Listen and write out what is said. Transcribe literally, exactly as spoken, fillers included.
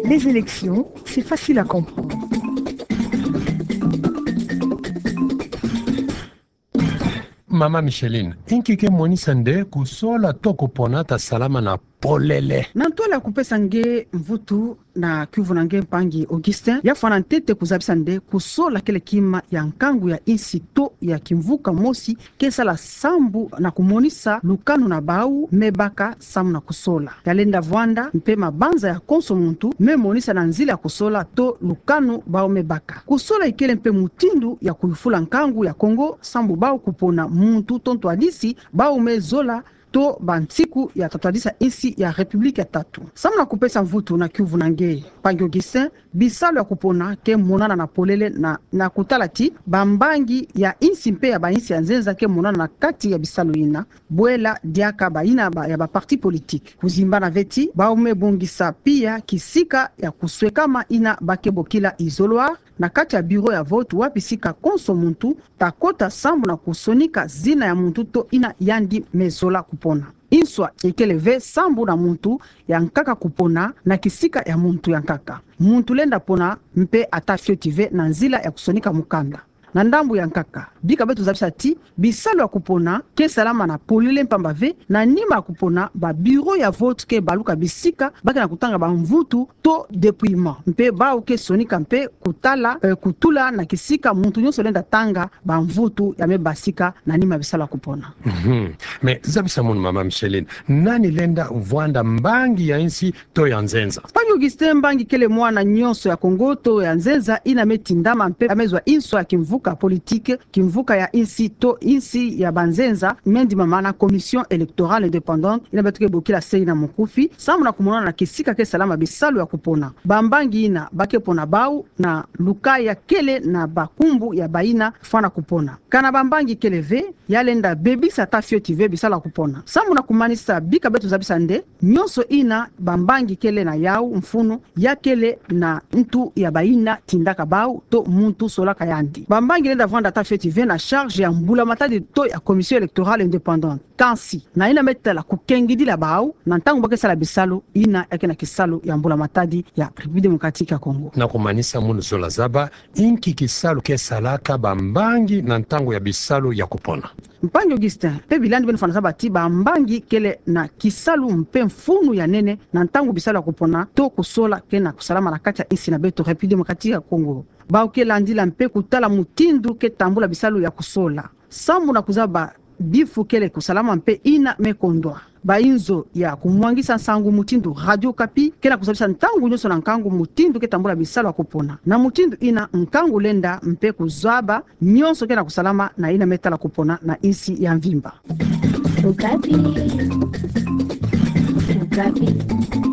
Les élections, c'est facile à comprendre. Mama Micheline, inki ke monisa nde kusola to kupona ta salama na polele? Na ntwala ya kupesa nge mvutu na kiuvu na nge mpangi Augustin, ya fwana ntete kuzabisa nde kusola kele kima ya nkangu ya insi to ya kimvuka mosi ke sala sambu na kumonisa lukanu na bau me baka sambu na kusola. Ya lenda vwanda mpe mabanza ya konso muntu me monisa na nzila ya kusola to lukanu bau me baka. Kusola ikele mpe mutindu ya kuyufula nkangu ya Kongo sambu bau kupona muntu to ntwadisi bau me zola to bansiku ya tatwadisa insi ya République ya tatu. Sambu na kupesa mvutu na kiuvu na nge mpangi Augustin, bisalu ya kupona ke monana na polele na, na kutala ti bambangi ya insi mpe ya bainsi ya nzenza ke monana na kati ya bisalu ina, bwela diaka baina ba, ya ba parti politique. Kuzimbana ve ti bau me bongisa pia kisika ya kuswekama ina ba ke bokila isoloir na kati ya bureau ya vote, wapi sika konso muntu ta kota sambu na kusonika zina ya muntu to ina yandi me zola kupona. Inswa ikele ve sambu na muntu ya nkaka kupona na kisika ya muntu ya nkaka. Muntu lenda pona mpe ata fioti ve na nzila ya kusonika mukanda. Na ndambu ya nkaka, bika beto zabisa ti bisalu ya kupona ke salama na polele mpamba ve na nima ya kupona ba bureau ya vote ke baluka bisika ba ke na kutanga bamvutu to dépouillement. Mpe bau ke sonika mpe kutala, eh, kutula na kisika muntu nyonso lenda tanga bamvutu ya me basika na nima ya bisalu ya kupona. Mhm. Mais zabisa munu mama Micheline, nani lenda vwanda, mbangi ya insi to ya nzenza? Mpangi Augustin, mbangi kele mwana nyonso ya Kongo to ya nzenza ina me tindama mpe ya me zwa inswa ya kimvuka politique, kimvuka ya insi to insi ya banzenza, me ndimama na Commission électorale indépendante, ina beto ke bokila CEI na mukufi, sambu na kumonana na kisika ke salama bisalu ya kupona. Bambangi ina ba ke pona bau na lukaya kele na bankumbu ya baina fwana kupona. Kana bambangi kele ve, ya lenda bebisa ata fioti ve bisalu ya kupona. Sambu na kumanisa, bika beto zabisa nde nyonso ina bambangi kele na yau mfunu, ya kele na ntu ya baina tindaka bau to muntu solaka yandi. Bambangi lenda vwanda ata fioti ve na charge ya mbula matadi to ya Commission électorale indépendante. Kansi na ina me tala kukengidila bau na ntangu ba ke sala bisalu ina ya ke na kisalu ya mbula matadi ya République démocratique ya Congo. Na kumanisa, munu zola zaba inki kisalu ke salaka bambangi na ntangu ya bisalu ya kupona? Mpangi Augustin, mpe bilandi beno fwana zaba ti bambangi kele na kisalu mpe mfunu ya nene na ntangu bisalu ya kupona to kusola ke na kusalama na kati ya insi na beto République démocratique ya Congo. Bau ke landila mpe kutala mutindu ke tambula bisalu ya kusola sambu na kuzaba bifu kele kusalama mpe ina me kondwa. Bainzo ya kumwangisa nsangu mutindu Radio Okapi ke na kuzabisa ntangu nyonso na nkangu mutindu ke tambula bisalu ya kupona. Na mutindu ina, nkangu lenda mpe kuzaba nyonso ke na kusalama na ina me tala kupona na insi ya mvimba. Okapi. Okapi.